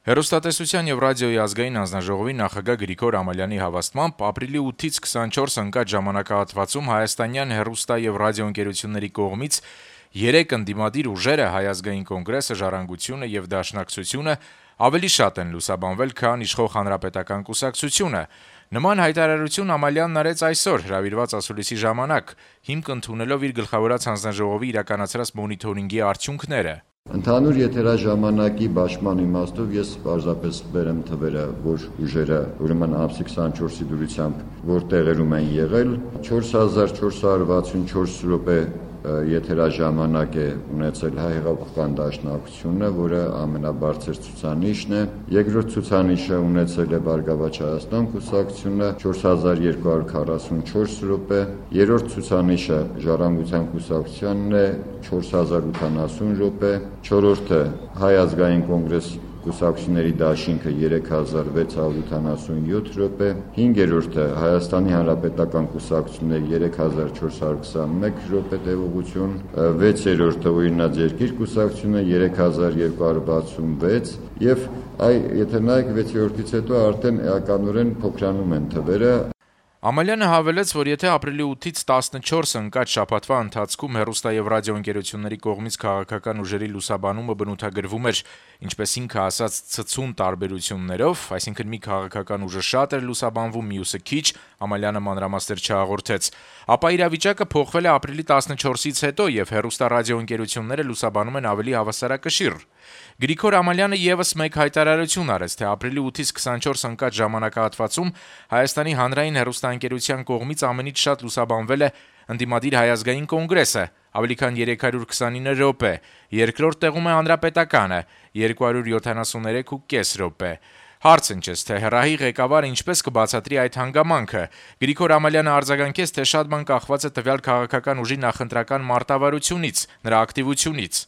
Հեռուստատեսության եւ ռադիոյի ազգային հանձնաժողովի նախագահ Գրիգոր Ամալյանի հավաստմամբ ապրիլի 8-ից 24 ընկած ժամանակահատվածում հայաստանյան հեռուստա եւ ռադիոընկերությունների կողմից 3 ընդդիմադիր ուժերը Հայ ազգային կոնգրեսը, Ժառանգությունը եւ Դաշնակցությունը ավելի շատ են լուսաբանվել, քան իշխող Հանրապետական կուսակցությունը։ Նման հայտարարություն Ամալյանն արեց այսօր հրավիրված ասուլիսի ժամանակ, հիմք ընդունելով իր գլխավորած հանձնաժողովի իրականացրած մոնիթորինգի արդյունքները։ Ընդհանուր եթերաժամանակի բաշխման իմաստով ես պարզապես բերեմ թվերը, որ ուժերը ուրեմն ամսի 24-ի դուրսությամբ որ տեղերում են եղել, 4464 րոպե եթերաժամանակ է ունեցել Հայ հեղափոխական դաշնակցությունը, որը ամենաբարձր ցուցանիշն է, երկրորդ ցուցանիշը ունեցել է Բարգավաճ Հայաստան կուսակցությունը 4244 րոպե, երրորդ ցուցանիշը Ժառանգության կուսակցությանն է 4080 րոպե, չորրորդը Հայ ազգային կոնգրես կուսակցությունների դաշինքը 3687 րոպե, հինգերորդը Հայաստանի Հանրապետական կուսակցությունների 3421 րոպե տևողություն, վեցերորդը Օրինաց երկիր կուսակցությունը 3266 եւ եթե նայեք վեցերորդից հետո արդեն էականորեն փոքրանում են թվերը։ Ամալյանը հավելեց, որ եթե ապրիլի 8-ից 14 ընկած շաբաթվա ընթացքում հեռուստա եւ ռադիոընկերությունների կողմից քաղաքական ուժերի լուսաբանումը բնութագրվում էր, ինչպես ինքը ասաց, ցցուն տարբերություններով, այսինքն մի քաղաքական ուժը շատ էր լուսաբանվում, մյուսը քիչ, Ամալյանը մանրամասներ չհաղորդեց, ապա իրավիճակը փոխվել է ապրիլի 14-ից հետո եւ հեռուստա ռադիոընկերությունները լուսաբանում են ավելի հավասարակշիռ։ Գրիգոր Ամալյանը եւս մեկ հայտարարություն արեց, թե ապրիլի 8-ից 24 ընկած ժամանակահատվածում Հայաստանի հանրային հեռուստաընկերության կողմից ամենից շատ լուսաբանվել է ընդդիմադիր Հայ ազգային կոնգրեսը, ավելի քան 329 րոպե, երկրորդ տեղում է Հանրապետականը 273.5 րոպե։ Հարց ընչեց, թե հեռահի ղեկավարը ինչպես կբացատրի այդ հանգամանքը։ Գրիգոր Ամալյանը արձագանքեց, թե շատ բան կախված է տվյալ քաղաքական ուժի նախընտրական մարտավարությունից, նրա ակտիվությունից։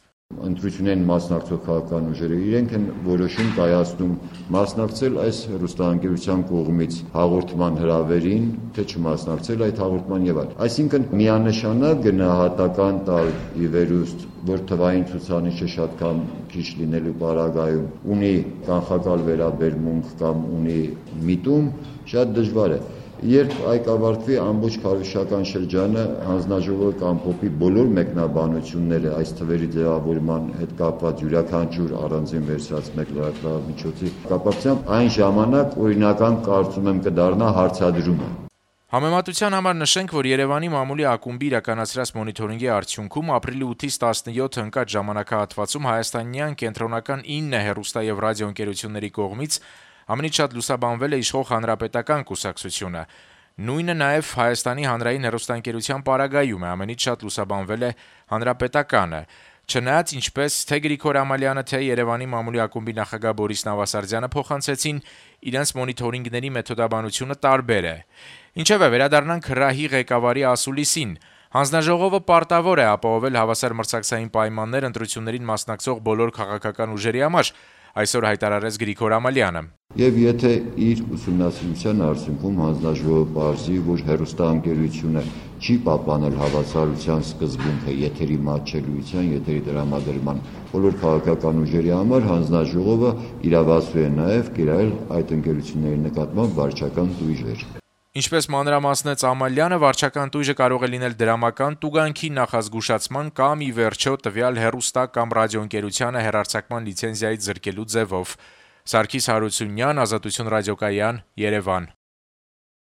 Ընտրություններին մասնակցող քաղաքական ուժերը իրենք են որոշում կայացնում մասնակցել այս հեռուստաընկերության կողմից հաղորդման հրավերին, թե չմասնակցել այդ հաղորդման եւ այլն։ Այսինքն միանշանակ գնահատական տալ ի վերուստ, որ թվային ցուցանիշը շատ կամ քիչ լինելու պարագայում ունի կանխակալ վերաբերմունք կամ ունի միտում, շատ դժվար է։ Երբ այդ ավարտվի ամբողջ քարոզչական շրջանը հանձնաժողովը կամփոփի բոլոր մեկնաբանությունները այս թվերի ձևավորման հետ կապված յուրաքանչյուր առանձին վերցրած մեկ լրատվամիջոցի կապակցությամբ, այն ժամանակ օրինական կարծում եմ կդառնա հարցադրումը։ Համեմատության համար նշենք, որ Երևանի մամուլի ակումբի իրականացրած մոնիթորինգի արդյունքում ապրիլի 8-ից 17 ընկած ժամանակահատվածում հայաստանյան կենտրոնական 9 հեռուստա եւ ռադիոընկերությունների կողմից ամենից շատ լուսաբանվել է իշխող Հանրապետական կուսակցությունը։ Նույնը նաև Հայաստանի հանրային հեռուստաընկերության պարագայում է, ամենից շատ լուսաբանվել է Հանրապետականը։ Չնայած ինչպես թե Գրիգոր Ամալյանը, թե Երևանի մամուլի ակումբի նախագահ Բորիս Նավասարդյանը փոխանցեցին, իրենց մոնիթորինգների մեթոդաբանությունը տարբեր է։ Ինչևէ, վերադառնանք հրահի ղեկավարի ասուլիսին։ Հանձնաժողովը պարտավոր է ապահովել հավասար մրցակցային պայմաններ ընտրություններին մասնակցող բոլոր քաղաքական ուժերի համար, այսօր հայտարարեց Գրիգոր Ամալյանը։ Եվ եթե իր ուսումնասիրության արդյունքում հանձնաժողովը պարզի, որ հեռուստաընկերությունը չի պահպանել հավասարության սկզբունքը եթերի մատչելիության, եթերի տրամադրման բոլոր քաղաքական ուժերի համար, հանձնաժողովը իրավասու է նաև կիրառել այդ ընկերությունների նկատմամբ վարչական տույժեր։ Ինչպես մանրամասնեց Ամալյանը, վարչական տույժը կարող է լինել դրամական տուգանքի նախազգուշացման կամ ի վերջո տվյալ հեռուստա կամ ռադիոընկերությանը հեռարձակման լիցենզիայից զրկելու ձևով։ Սարգիս Հարությունյան, Ազատություն ռադիոկայան, Երևան։